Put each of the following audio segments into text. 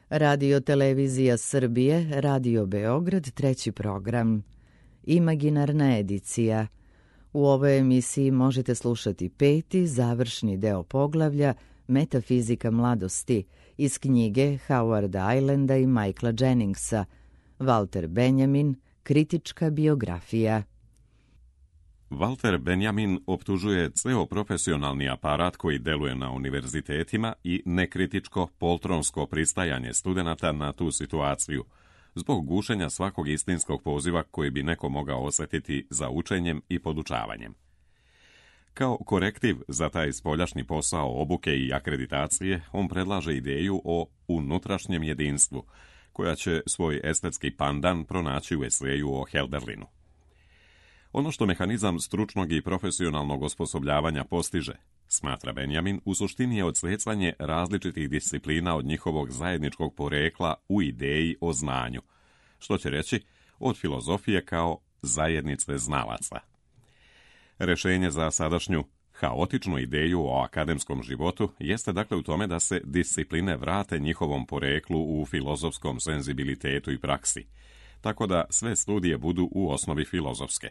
Radio Televizija Srbije, Radio Beograd, treći program. Imaginarna edicija. U ovoj emisiji možete slušati peti, završni deo poglavlja Metafizika mladosti iz knjige Howarda Islanda i Michaela Jenningsa, Walter Benjamin, kritička biografija. Walter Benjamin optužuje ceo profesionalni aparat koji deluje na univerzitetima i nekritičko poltronsko pristajanje studenata na tu situaciju, zbog gušenja svakog istinskog poziva koji bi neko mogao osjetiti za učenjem i podučavanjem. Kao korektiv za taj spoljašnji posao obuke i akreditacije, on predlaže ideju o unutrašnjem jedinstvu, koja će svoj estetski pandan pronaći u eseju o Hölderlinu. Ono što mehanizam stručnog i profesionalnog osposobljavanja postiže, smatra Benjamin, u suštini je odsecanje različitih disciplina od njihovog zajedničkog porekla u ideji o znanju, što će reći od filozofije kao zajednice znalaca. Rešenje za sadašnju haotičnu ideju o akademskom životu jeste dakle u tome da se discipline vrate njihovom poreklu u filozofskom senzibilitetu i praksi, tako da sve studije budu u osnovi filozofske.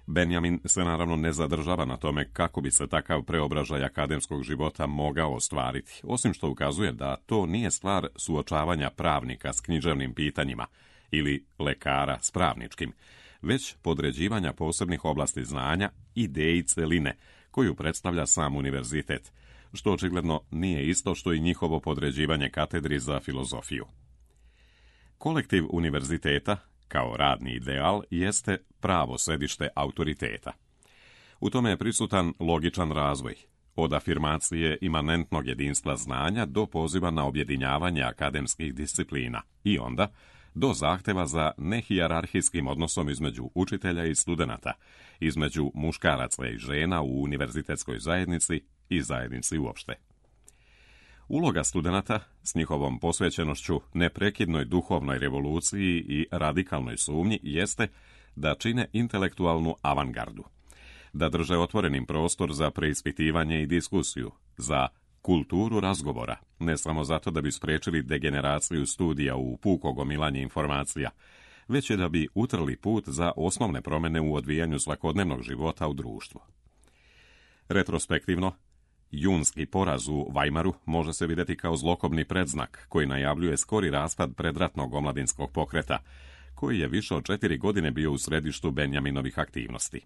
Benjamin se naravno ne zadržava na tome kako bi se takav preobražaj akademskog života mogao ostvariti, osim što ukazuje da to nije stvar suočavanja pravnika s književnim pitanjima ili lekara s pravničkim, već podređivanja posebnih oblasti znanja ideji celine koju predstavlja sam univerzitet, što očigledno nije isto što i njihovo podređivanje katedri za filozofiju. Kolektiv univerziteta, kao radni ideal, jeste pravo sedište autoriteta. U tome je prisutan logičan razvoj, od afirmacije imanentnog jedinstva znanja do poziva na objedinjavanje akademskih disciplina i onda do zahteva za nehijerarhijskim odnosom između učitelja i studenata, između muškaraca i žena u univerzitetskoj zajednici i zajednici uopšte. Uloga studenata s njihovom posvećenošću neprekidnoj duhovnoj revoluciji i radikalnoj sumnji jeste da čine intelektualnu avangardu, da drže otvorenim prostor za preispitivanje i diskusiju, za kulturu razgovora, ne samo zato da bi spriječili degeneraciju studija u puko gomilanje informacija, već je da bi utrli put za osnovne promjene u odvijanju svakodnevnog života u društvu. Retrospektivno, junski poraz u Weimaru može se vidjeti kao zlokobni predznak koji najavljuje skori raspad predratnog omladinskog pokreta, koji je više od 4 godine bio u središtu Benjaminovih aktivnosti.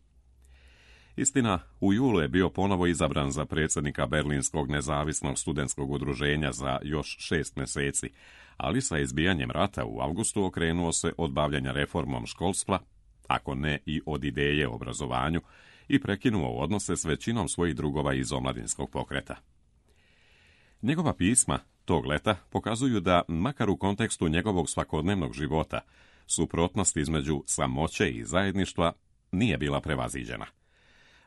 Istina, u julu je bio ponovo izabran za predsjednika Berlinskog nezavisnog studentskog udruženja za još 6 mjeseci, ali sa izbijanjem rata u avgustu okrenuo se od bavljenja reformom školstva, ako ne i od ideje o obrazovanju, i prekinuo odnose s većinom svojih drugova iz omladinskog pokreta. Njegova pisma tog leta pokazuju da, makar u kontekstu njegovog svakodnevnog života, suprotnost između samoće i zajedništva nije bila prevaziđena.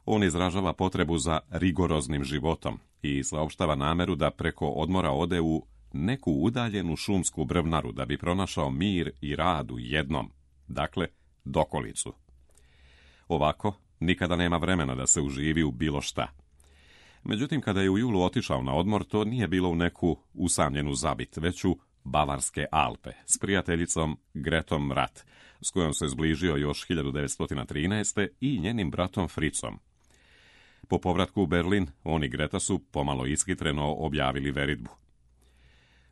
On izražava potrebu za rigoroznim životom i saopštava nameru da preko odmora ode u neku udaljenu šumsku brvnaru da bi pronašao mir i rad u jednom, dakle, dokolicu. Ovako, nikada nema vremena da se uživi u bilo šta. Međutim, kada je u julu otišao na odmor, to nije bilo u neku usamljenu zabit, već u Bavarske Alpe s prijateljicom Gretom Rat, s kojom se zbližio još 1913. i njenim bratom Fritzom. Po povratku u Berlin, on i Greta su pomalo ishitreno objavili veritbu.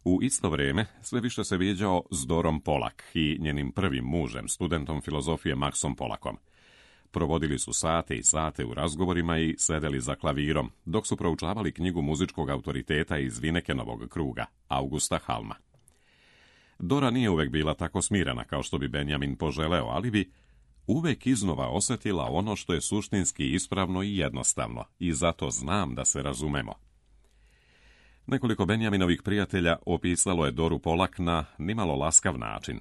U isto vrijeme sve više se viđao s Dorom Polak i njenim prvim mužem, studentom filozofije Maxom Polakom. Provodili su sate i sate u razgovorima i sedeli za klavirom, dok su proučavali knjigu muzičkog autoriteta iz Vinekenovog kruga, Augusta Halma. Dora nije uvek bila tako smirena kao što bi Benjamin poželeo, ali bi uvek iznova osjetila ono što je suštinski ispravno i jednostavno, i zato znam da se razumemo. Nekoliko Benjaminovih prijatelja opisalo je Doru Polak na nimalo laskav način.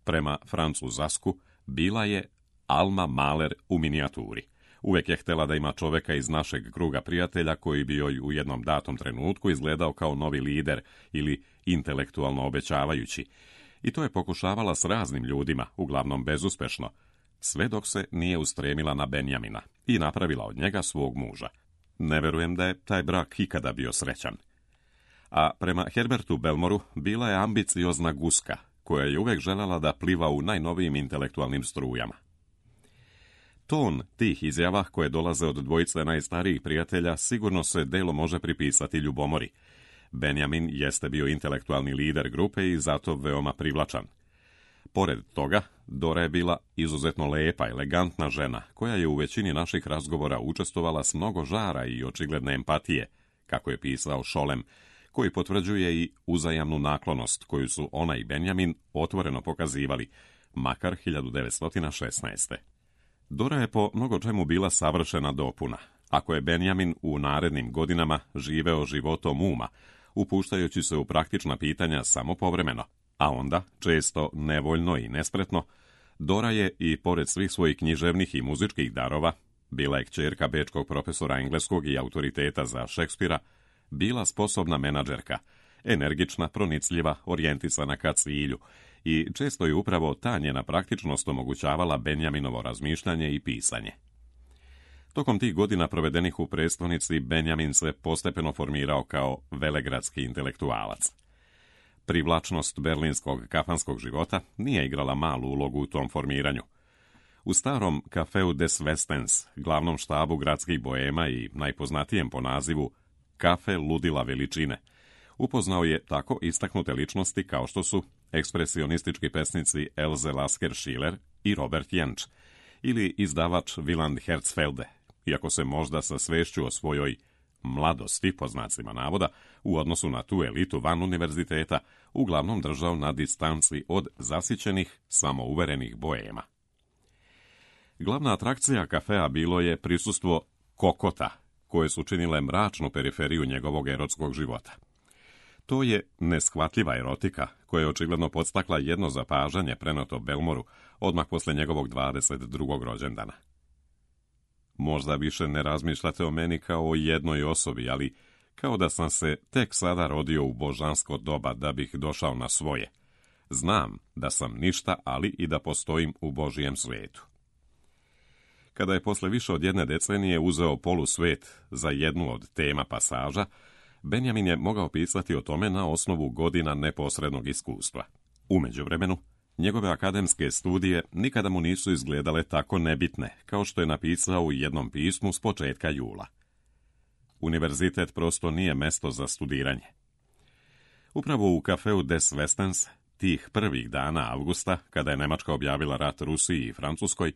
Prema Francu Zasku bila je Alma Mahler u minijaturi. Uvek je htjela da ima čoveka iz našeg kruga prijatelja koji bi joj u jednom datom trenutku izgledao kao novi lider ili intelektualno obećavajući. I to je pokušavala s raznim ljudima, uglavnom bezuspešno, sve dok se nije ustremila na Benjamina i napravila od njega svog muža. Ne verujem da je taj brak ikada bio srećan. a prema Herbertu Belmoru bila je ambiciozna guska, koja je uvijek željela da pliva u najnovijim intelektualnim strujama. Ton tih izjava koje dolaze od dvojice najstarijih prijatelja sigurno se delo može pripisati ljubomori. Benjamin jeste bio intelektualni lider grupe i zato veoma privlačan. Pored toga, Dora je bila izuzetno lepa, elegantna žena, koja je u većini naših razgovora učestvovala s mnogo žara i očigledne empatije, kako je pisao Scholem, koji potvrđuje i uzajamnu naklonost koju su ona i Benjamin otvoreno pokazivali, makar 1916. Dora je po mnogo čemu bila savršena dopuna, ako je Benjamin u narednim godinama živeo životom uma, upuštajući se u praktična pitanja samo povremeno, a onda, često nevoljno i nespretno, Dora je, i pored svih svojih književnih i muzičkih darova, bila je kćerka bečkog profesora engleskog i autoriteta za Šekspira, bila sposobna menadžerka, energična, pronicljiva, orijentisana ka cilju, i često je upravo ta njena praktičnost omogućavala Benjaminovo razmišljanje i pisanje. Tokom tih godina provedenih u prestonici, Benjamin se postepeno formirao kao velegradski intelektualac. Privlačnost berlinskog kafanskog života nije igrala malu ulogu u tom formiranju. U starom Cafeu des Westens, glavnom štabu gradskih boema i najpoznatijem po nazivu Kafe ludila veličine, upoznao je tako istaknute ličnosti kao što su ekspresionistički pesnici Else Lasker-Schiller i Robert Jentsch, ili izdavač Wieland Herzfelde, iako se možda sa svešću o svojoj mladosti, po znacima navoda, u odnosu na tu elitu van univerziteta, uglavnom držao na distanci od zasićenih, samouverenih boema. Glavna atrakcija kafea bilo je prisustvo kokota, koje su činile mračnu periferiju njegovog erotskog života. To je neshvatljiva erotika, koja je očigledno podstakla jedno zapažanje preneto Belmoru odmah posle njegovog 22. rođendana. Možda više ne razmišljate o meni kao o jednoj osobi, ali kao da sam se tek sada rodio u božansko doba da bih došao na svoje. Znam da sam ništa, ali i da postojim u Božijem svetu. Kada je posle više od jedne decenije uzeo polusvet za jednu od tema pasaža, Benjamin je mogao pisati o tome na osnovu godina neposrednog iskustva. U međuvremenu, njegove akademske studije nikada mu nisu izgledale tako nebitne, kao što je napisao u jednom pismu s početka jula. Univerzitet prosto nije mesto za studiranje. Upravo u Cafeu des Westens, tih prvih dana avgusta, kada je Nemačka objavila rat Rusiji i Francuskoj,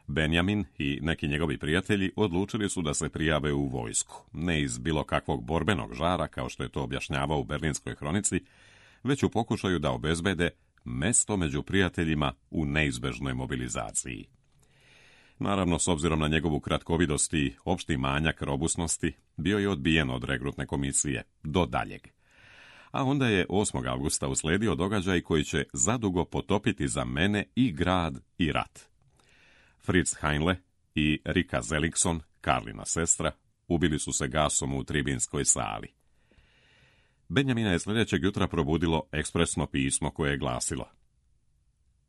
Benjamin i neki njegovi prijatelji odlučili su da se prijave u vojsku, ne iz bilo kakvog borbenog žara, kao što je to objašnjavao u Berlinskoj hronici, već u pokušaju da obezbede mesto među prijateljima u neizbežnoj mobilizaciji. Naravno, s obzirom na njegovu kratkovidost i opšti manjak robusnosti, bio je odbijen od regrutne komisije do daljeg. A onda je 8. avgusta usledio događaj koji će zadugo potopiti za mene i grad i rat. Fritz Heinle i Rika Zelikson, Karlina sestra, ubili su se gasom u tribinskoj sali. Benjamina je sljedećeg jutra probudilo ekspresno pismo koje je glasilo: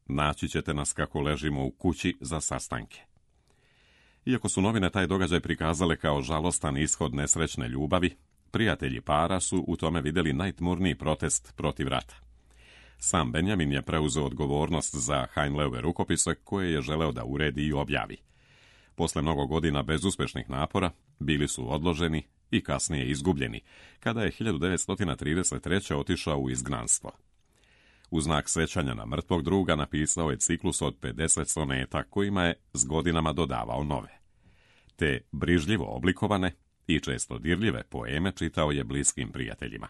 naći ćete nas kako ležimo u kući za sastanke. Iako su novine taj događaj prikazale kao žalostan ishod nesrećne ljubavi, prijatelji para su u tome vidjeli najtmurniji protest protiv rata. Sam Benjamin je preuzeo odgovornost za Heinleove rukopise koje je želeo da uredi i objavi. Posle mnogo godina bezuspešnih napora bili su odloženi i kasnije izgubljeni, kada je 1933. otišao u izgnanstvo. U znak sećanja na mrtvog druga napisao je ciklus od 50 soneta kojima je s godinama dodavao nove. Te brižljivo oblikovane i često dirljive poeme čitao je bliskim prijateljima.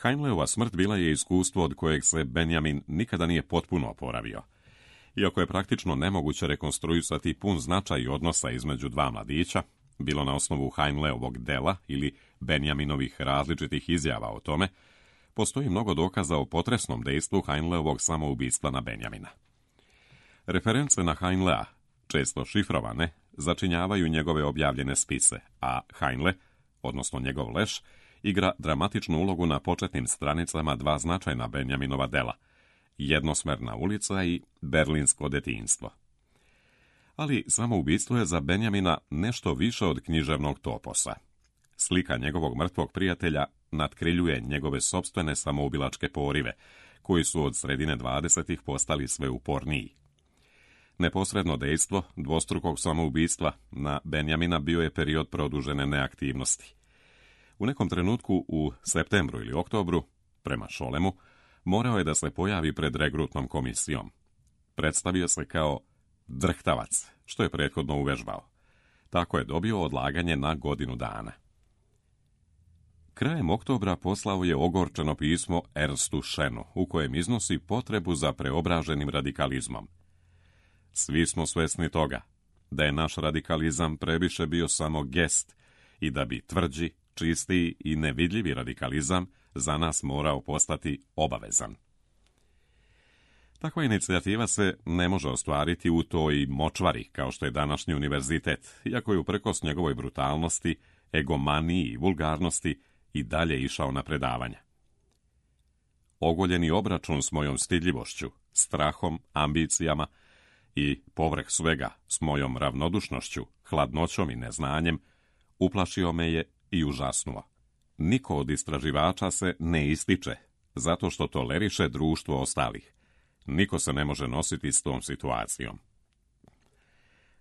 Heinleova smrt bila je iskustvo od kojeg se Benjamin nikada nije potpuno oporavio. Iako je praktično nemoguće rekonstruisati pun značaj odnosa između dva mladića, bilo na osnovu Heinleovog dela ili Benjaminovih različitih izjava o tome, postoji mnogo dokaza o potresnom dejstvu Heinleovog samoubistva na Benjamina. Reference na Heinlea, često šifrovane, začinjavaju njegove objavljene spise, a Heinle, odnosno njegov leš, igra dramatičnu ulogu na početnim stranicama dva značajna Benjaminova dela: Jednosmerna ulica i Berlinsko detinjstvo. Ali samoubistvo je za Benjamina nešto više od književnog toposa. Slika njegovog mrtvog prijatelja natkriljuje njegove sopstvene samoubilačke porive, koji su od sredine 20. postali sve uporniji. Neposredno dejstvo dvostrukog samoubistva na Benjamina bio je period produžene neaktivnosti. U nekom trenutku u septembru ili oktobru, prema Šolemu, morao je da se pojavi pred regrutnom komisijom. Predstavio se kao drhtavac, što je prethodno uvežbao. Tako je dobio odlaganje na godinu dana. Krajem oktobra poslao je ogorčeno pismo Ernstu Schenu, u kojem iznosi potrebu za preobraženim radikalizmom. Svi smo svesni toga da je naš radikalizam previše bio samo gest i da bi tvrđi, čistiji i nevidljivi radikalizam za nas morao postati obavezan. Takva inicijativa se ne može ostvariti u toj močvari kao što je današnji univerzitet, iako je uprkos njegovoj brutalnosti, egomaniji i vulgarnosti i dalje išao na predavanja. Ogoljeni obračun s mojom stidljivošću, strahom, ambicijama i, povrh svega, s mojom ravnodušnošću, hladnoćom i neznanjem, uplašio me je i užasnuo. Niko od istraživača se ne ističe, zato što toleriše društvo ostalih. Niko se ne može nositi s tom situacijom.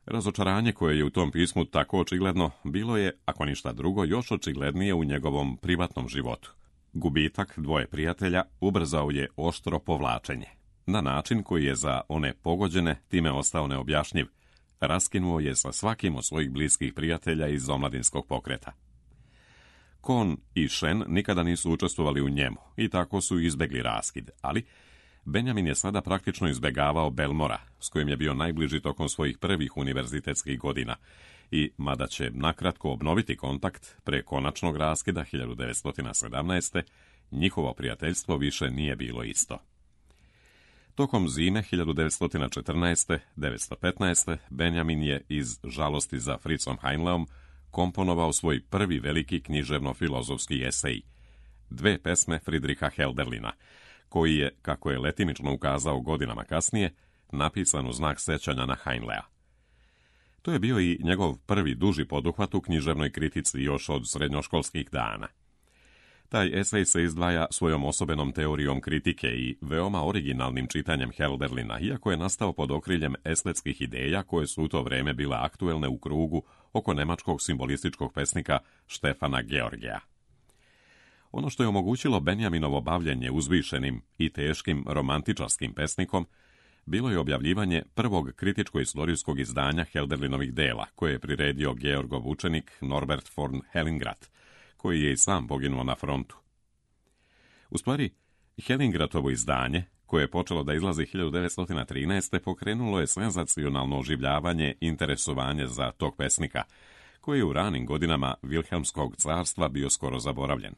Razočaranje koje je u tom pismu tako očigledno bilo je, ako ništa drugo, još očiglednije u njegovom privatnom životu. Gubitak dvoje prijatelja ubrzao je oštro povlačenje, na način koji je za one pogođene time ostao neobjašnjiv. Raskinuo je sa svakim od svojih bliskih prijatelja iz omladinskog pokreta. Kohn i Shen nikada nisu učestvovali u njemu i tako su izbegli raskid, ali Benjamin je sada praktično izbegavao Belmora, s kojim je bio najbliži tokom svojih prvih univerzitetskih godina i, mada će nakratko obnoviti kontakt pre konačnog raskida 1917. njihovo prijateljstvo više nije bilo isto. Tokom zime 1914-1915. Benjamin je iz žalosti za Fritzom Heinleom komponovao svoj prvi veliki književno-filozofski esej, 2 pesme Friedricha Hölderlina, koji je, kako je letimično ukazao godinama kasnije, napisan u znak sećanja na Heinlea. To je bio i njegov prvi duži poduhvat u književnoj kritici još od srednjoškolskih dana. Taj esej se izdvaja svojom osobenom teorijom kritike i veoma originalnim čitanjem Hölderlina, iako je nastao pod okriljem estetskih ideja koje su u to vreme bile aktuelne u krugu oko nemačkog simbolističkog pesnika Štefana Georgija. Ono što je omogućilo Benjaminovo bavljenje uzvišenim i teškim romantičarskim pesnikom bilo je objavljivanje prvog kritičko-istorijskog izdanja Hölderlinovih dela, koje je priredio Georgov učenik Norbert von Hellingrad, koji je i sam poginuo na frontu. U stvari, Hellingratovo izdanje, koje je počelo da izlazi 1913. pokrenulo je senzacionalno oživljavanje interesovanje za tog pesnika, koji je u ranim godinama Vilhelmskog carstva bio skoro zaboravljen.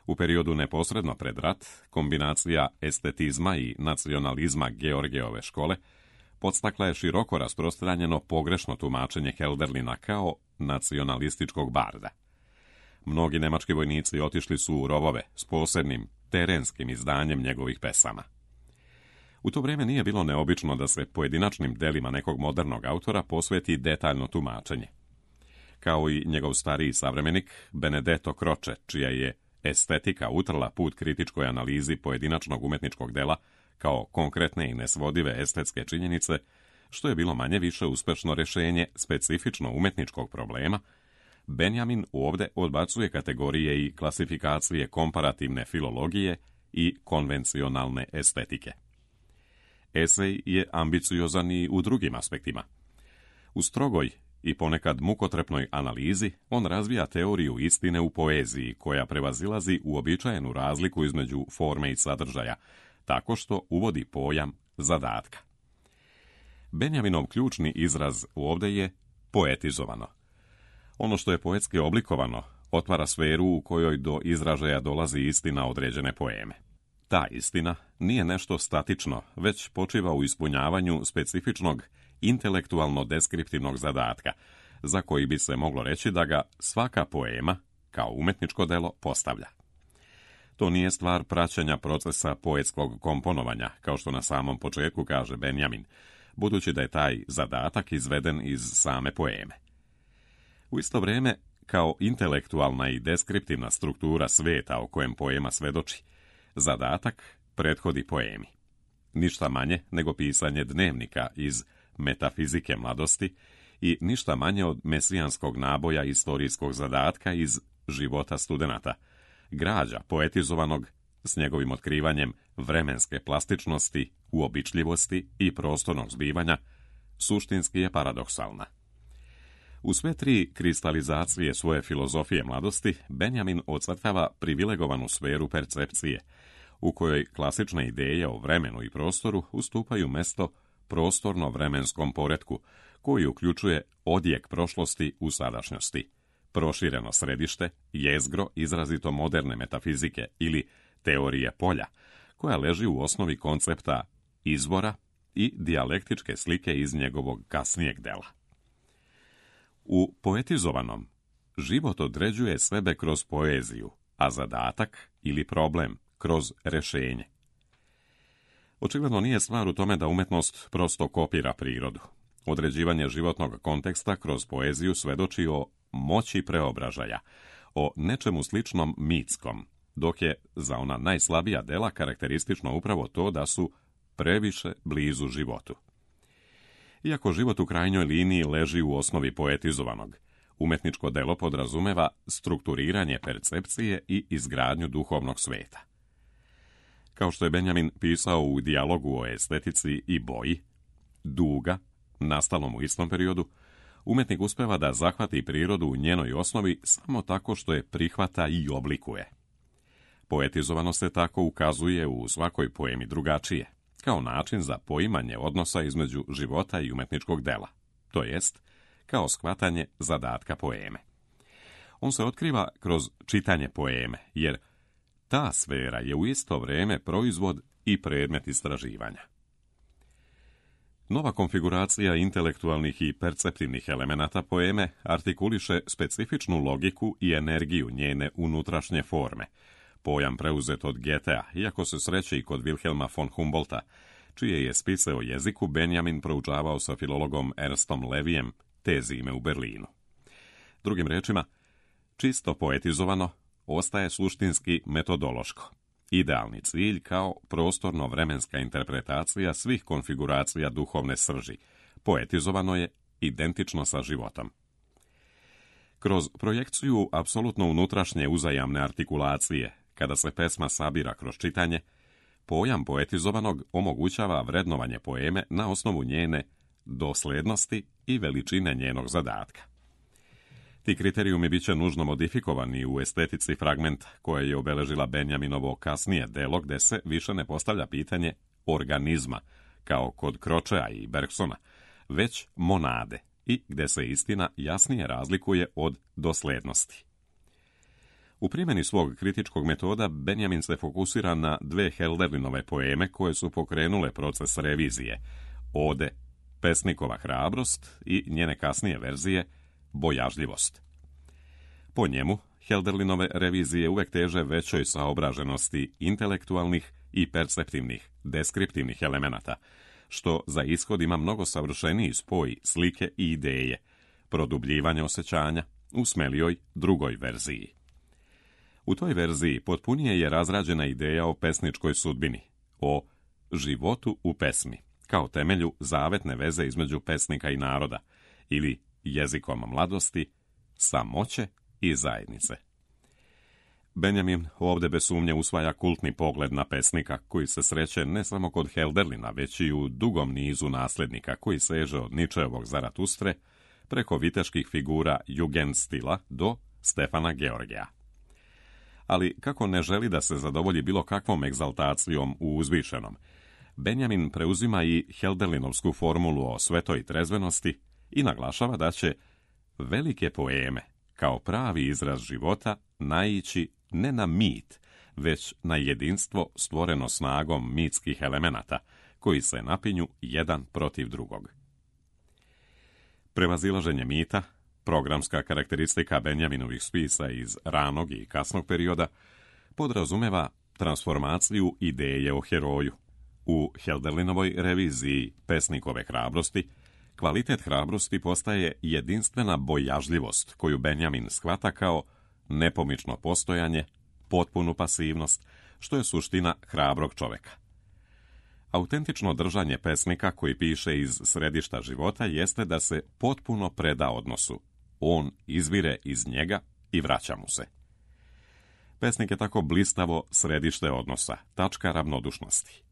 U periodu neposredno pred rat, kombinacija estetizma i nacionalizma Georgijeve škole podstakla je široko rasprostranjeno pogrešno tumačenje Hölderlina kao nacionalističkog barda. Mnogi nemački vojnici otišli su u rovove s posebnim terenskim izdanjem njegovih pesama. U to vrijeme nije bilo neobično da se pojedinačnim delima nekog modernog autora posveti detaljno tumačenje. Kao i njegov stariji savremenik Benedetto Croce, čija je estetika utrla put kritičkoj analizi pojedinačnog umetničkog dela kao konkretne i nesvodive estetske činjenice, što je bilo manje više uspešno rješenje specifično umetničkog problema, Benjamin ovdje odbacuje kategorije i klasifikacije komparativne filologije i konvencionalne estetike. Esej je ambiciozan i u drugim aspektima. U strogoj i ponekad mukotrpnoj analizi on razvija teoriju istine u poeziji koja prevazilazi uobičajenu razliku između forme i sadržaja, tako što uvodi pojam zadatka. Benjaminov ključni izraz ovdje je poetizovano. Ono što je poetski oblikovano otvara sferu u kojoj do izražaja dolazi istina određene poeme. Ta istina nije nešto statično, već počiva u ispunjavanju specifičnog intelektualno-deskriptivnog zadatka, za koji bi se moglo reći da ga svaka poema, kao umetničko delo, postavlja. To nije stvar praćenja procesa poetskog komponovanja, kao što na samom početku kaže Benjamin, budući da je taj zadatak izveden iz same poeme. U isto vrijeme, kao intelektualna i deskriptivna struktura sveta o kojem poema svedoči, zadatak prethodi poemi. Ništa manje nego pisanje dnevnika iz metafizike mladosti i ništa manje od mesijanskog naboja istorijskog zadatka iz života studenata, građa poetizovanog s njegovim otkrivanjem vremenske plastičnosti, uobičljivosti i prostornog zbivanja, suštinski je paradoksalna. U sve tri kristalizacije svoje filozofije mladosti, Benjamin ocrtava privilegovanu sferu percepcije, u kojoj klasične ideje o vremenu i prostoru ustupaju mesto prostorno-vremenskom poretku, koji uključuje odjek prošlosti u sadašnjosti, prošireno središte, jezgro izrazito moderne metafizike ili teorije polja, koja leži u osnovi koncepta izvora i dijalektičke slike iz njegovog kasnijeg dela. U poetizovanom, život određuje sebe kroz poeziju, a zadatak ili problem kroz rešenje. Očigledno nije stvar u tome da umetnost prosto kopira prirodu. Određivanje životnog konteksta kroz poeziju svedoči o moći preobražaja, o nečemu sličnom mitskom, dok je za ona najslabija dela karakteristično upravo to da su previše blizu životu. Iako život u krajnjoj liniji leži u osnovi poetizovanog, umetničko delo podrazumeva strukturiranje percepcije i izgradnju duhovnog sveta. Kao što je Benjamin pisao u dijalogu o estetici i boji, duga, nastalom u istom periodu, umetnik uspeva da zahvati prirodu u njenoj osnovi samo tako što je prihvata i oblikuje. Poetizovano se tako ukazuje u svakoj poemi drugačije, kao način za poimanje odnosa između života i umetničkog dela, to jest kao shvatanje zadatka poeme. On se otkriva kroz čitanje poeme, jer ta sfera je u isto vrijeme proizvod i predmet istraživanja. Nova konfiguracija intelektualnih i perceptivnih elemenata poeme artikuliše specifičnu logiku i energiju njene unutrašnje forme, pojam preuzet od Goethea, iako se sreće i kod Wilhelma von Humboldta, čije je spise o jeziku Benjamin proučavao sa filologom Ernstom Levijem te zime u Berlinu. Drugim rečima, čisto poetizovano ostaje suštinski metodološko, idealni cilj kao prostorno-vremenska interpretacija svih konfiguracija duhovne srži, poetizovano je identično sa životom. Kroz projekciju apsolutno unutrašnje uzajamne artikulacije, kada se pesma sabira kroz čitanje, pojam poetizovanog omogućava vrednovanje poeme na osnovu njene doslednosti i veličine njenog zadatka. Ti kriterijumi bit će nužno modifikovani u estetici fragmenta koje je obeležila Benjaminovo kasnije delo, gde se više ne postavlja pitanje organizma, kao kod Cročea i Bergsona, već monade, i gde se istina jasnije razlikuje od doslednosti. U primjeni svog kritičkog metoda Benjamin se fokusira na dve Hölderlinove poeme koje su pokrenule proces revizije, ode Pesnikova hrabrost i njene kasnije verzije Bojažljivost. Po njemu, Hölderlinove revizije uvek teže većoj saobraženosti intelektualnih i perceptivnih, deskriptivnih elemenata, što za ishod ima mnogo savršeniji spoj slike i ideje, produbljivanje osjećanja u smelijoj drugoj verziji. U toj verziji potpunije je razrađena ideja o pesničkoj sudbini, o životu u pesmi, kao temelju zavetne veze između pesnika i naroda, ili jezikom mladosti, samoće i zajednice. Benjamin ovdje bez sumnje usvaja kultni pogled na pesnika koji se sreće ne samo kod Hölderlina, već i u dugom nizu nasljednika koji seže od Nietzscheovog Zaratustre preko viteških figura Jugendstila do Stefana Georgija. Ali kako ne želi da se zadovolji bilo kakvom egzaltacijom u uzvišenom, Benjamin preuzima i Hölderlinovsku formulu o svetoj trezvenosti i naglašava da će velike poeme, kao pravi izraz života, naići ne na mit, već na jedinstvo stvoreno snagom mitskih elemenata, koji se napinju jedan protiv drugog. Prevazilaženje mita, programska karakteristika Benjaminovih spisa iz ranog i kasnog perioda, podrazumeva transformaciju ideje o heroju. U Hölderlinovoj reviziji Pesnikove hrabrosti, Kvalitet hrabrosti postaje jedinstvena bojažljivost koju Benjamin shvata kao nepomično postojanje, potpunu pasivnost, što je suština hrabrog čoveka. Autentično držanje pesnika koji piše iz središta života jeste da se potpuno preda odnosu. On izvire iz njega i vraća mu se. Pesnik je tako blistavo središte odnosa, tačka ravnodušnosti.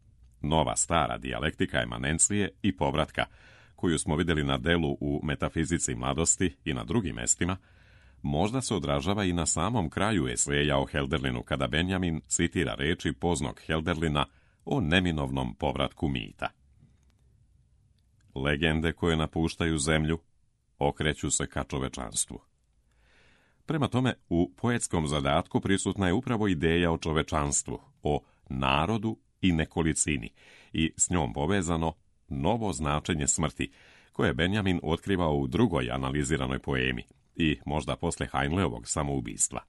Nova stara dijalektika emanencije i povratka, koju smo vidjeli na delu u Metafizici mladosti i na drugim mestima, možda se odražava i na samom kraju eseja o Helderlinu, kada Benjamin citira reči poznog Helderlina o neminovnom povratku mita. Legende koje napuštaju zemlju okreću se ka čovečanstvu. Prema tome, u poetskom zadatku prisutna je upravo ideja o čovečanstvu, o narodu i nekolicini i s njom povezano novo značenje smrti, koje Benjamin otkrivao u drugoj analiziranoj poemi i možda posle Heinleovog samoubistva.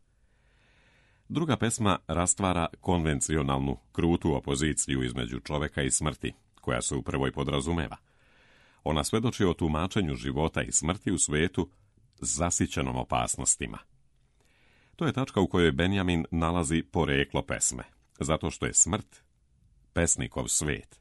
Druga pesma rastvara konvencionalnu, krutu opoziciju između čoveka i smrti, koja se u prvoj podrazumeva. Ona svedoči o tumačenju života i smrti u svetu zasićenom opasnostima. To je tačka u kojoj Benjamin nalazi poreklo pesme, zato što je smrt pesnikov svet.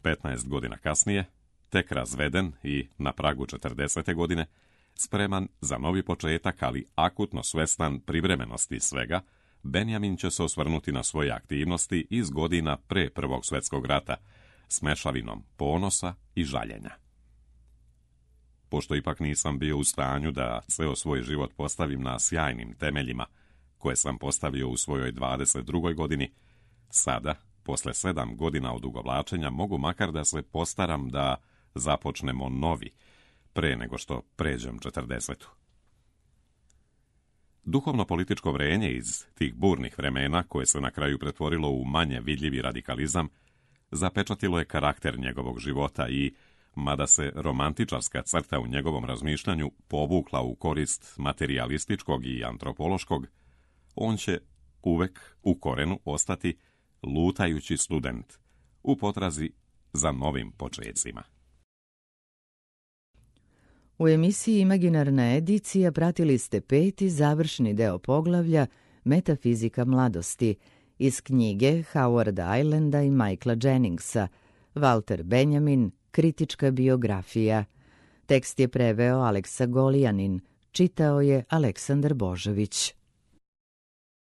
15 godina kasnije, tek razveden i na pragu 40. godine, spreman za novi početak, ali akutno svestan privremenosti svega, Benjamin će se osvrnuti na svoje aktivnosti iz godina pre Prvog svjetskog rata, s mešavinom ponosa i žaljenja. Pošto ipak nisam bio u stanju da ceo svoj život postavim na sjajnim temeljima, koje sam postavio u svojoj 22. godini, sada, posle 7 godina odugovlačenja, mogu makar da se postaram da započnemo novi, pre nego što pređem 40. Duhovno-političko vrenje iz tih burnih vremena, koje se na kraju pretvorilo u manje vidljivi radikalizam, zapečatilo je karakter njegovog života i, mada se romantičarska crta u njegovom razmišljanju povukla u korist materijalističkog i antropološkog, on će uvek u korenu ostati lutajući student u potrazi za novim počecima. U emisiji Imaginarna edicija pratili ste 5. završni deo poglavlja Metafizika mladosti iz knjige Howarda Islanda i Michaela Jenningsa, Walter Benjamin, kritička biografija. Tekst je preveo Aleksa Golijanin, čitao je Aleksandar Božović.